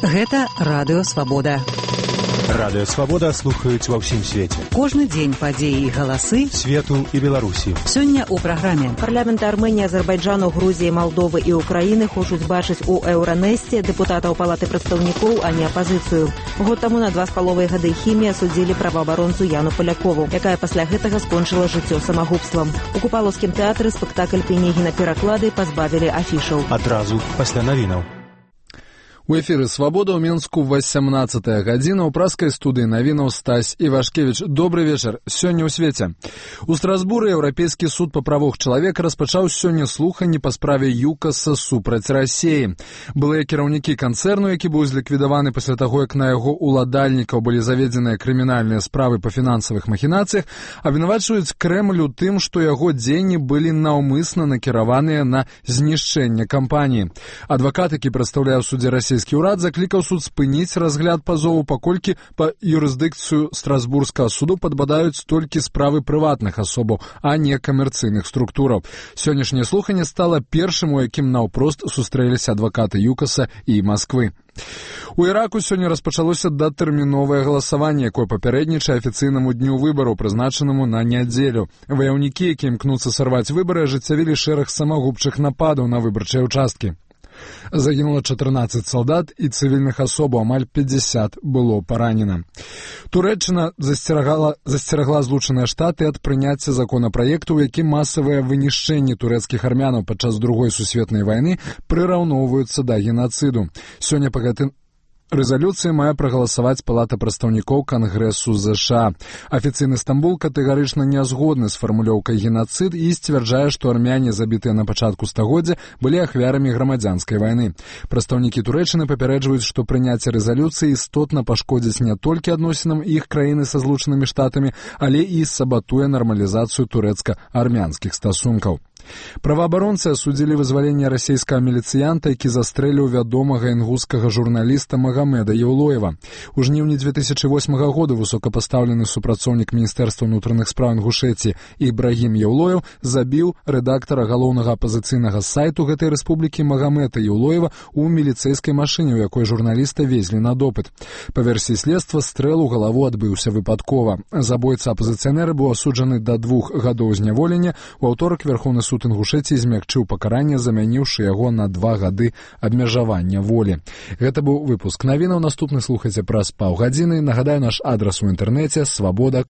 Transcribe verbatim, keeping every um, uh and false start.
Гэта Радыё Свабода. Радыё Свабода слухаюць ва ўсім свеце. Кожны дзень падзеі і галасы свету і Беларусі. Сёння ў праграме. Парламенты Арменіі, Азербайджану, Грузіі, Малдовы і Украіны хочуць бачыць у Еўранэсце дэпутатаў Палаты прадстаўнікоў, а не апазіцыю. Год таму на два з паловай гады хімія судзілі праваабаронцу Яну Полякову, якая пасля гэтага скончыла жыццё самагубствам. У Купалаўскім тэатры спектакль Пенегіна пераклады пазбавілі афішаў. Адразу пасля навінаў. У эфіры «Свабода» ў Мінску васямнаццатая гадзіна. У праскай студыі навінаў Стась Івашкевіч. Добры вечар. Сёння ў свеце. У Страсбуры Еўрапейскі суд па правах чалавека распачаў сёння слуханні па справе ЮКАСа супраць Расіі. Былыя кіраўнікі канцэрну, які быў зліквідаваны пасля таго, як на яго уладальнікаў былі заведзеныя крымінальныя справы па фінансавых махінацыях, абвінавачваюць Крэмль у тым, што яго дзеянні былі наўмысна накіраваныя на знішчэнне кампаніі. Адвакат, які прадстаўляе ў судзе Расіі Расійскі ўрад, заклікаў суд спыніць разгляд пазову, паколькі па юрысдыкцыю Страсбургскага суду падбадаюць толькі справы прыватных асобаў, а не камерцыйных структураў. Сённяшняе слуханне стала першым, у якім наўпрост сустрэліся адвакаты ЮКАСа і Масквы. У Іраку сёння распачалося датэрміновае галасаванне, якое папярэднічае афіцыйнаму дню выбараў, прызначанаму на нядзелю. Ваяўнікі, які імкнуцца сарваць выбары, ажыццявілі шэраг самагубчых нападаў на выбарчыя ўчасткі. Загінула чатырнаццаць салдат і цывільных асобаў, амаль пятьдесят было паранена. Турэччына засцерагала, засцерагла Злучаныя Штаты ад прыняцця законапраекту, у якім масавыя вынішчэнні турэцкіх армянаў падчас Другой сусветнай вайны прыраўноўваюцца да генацыду. Сёння па гэтым рэзалюцыі мае прагаласаваць Палата прадстаўнікоў Кангрэсу ЗША. Афіцыйны Стамбул катэгарычна не згодны з фармулёўкай генацыд і сцвярджае, што армяне, забітыя на пачатку стагоддзя, былі ахвярамі грамадзянскай вайны. Прадстаўнікі Турэччыны папярэджваюць, што прыняцце рэзалюцыі істотна пашкодзіць не толькі адносінам іх краіны са Злучанымі Штатамі, але і сабатуе нармалізацыю турэцка-армянскіх стасункаў. Праваабаронцы асудзілі вызваленне расійскага міліцыянта, які застрэліў вядомага інгускага журналіста Магамеда Еўлоева. У жніўні две тысячы восьмага года высокапастаўлены супрацоўнік Міністэрства ўнутраных спраў Інгушэціі Ібрагім Еўлоев забіў рэдактара галоўнага апазіцыйнага сайту гэтай рэспублікі Магамеда Еўлоева ў міліцэйскай машыне, у якой журналіста везлі на допыт. Па версіі следства, стрэл у галаву адбыўся выпадкова. Забойца апазіцыянера быў асуджаны да двух гадоў зняволення. У аўторак Верхоўны суд Інгушэціі змякчыў пакаранне, замяніўшы яго на два гады абмежавання волі. Гэта быў выпуск навінаў. Наступны слухайце праз паўгадзіны. Нагадаю, наш адрас у інтэрнэце свабода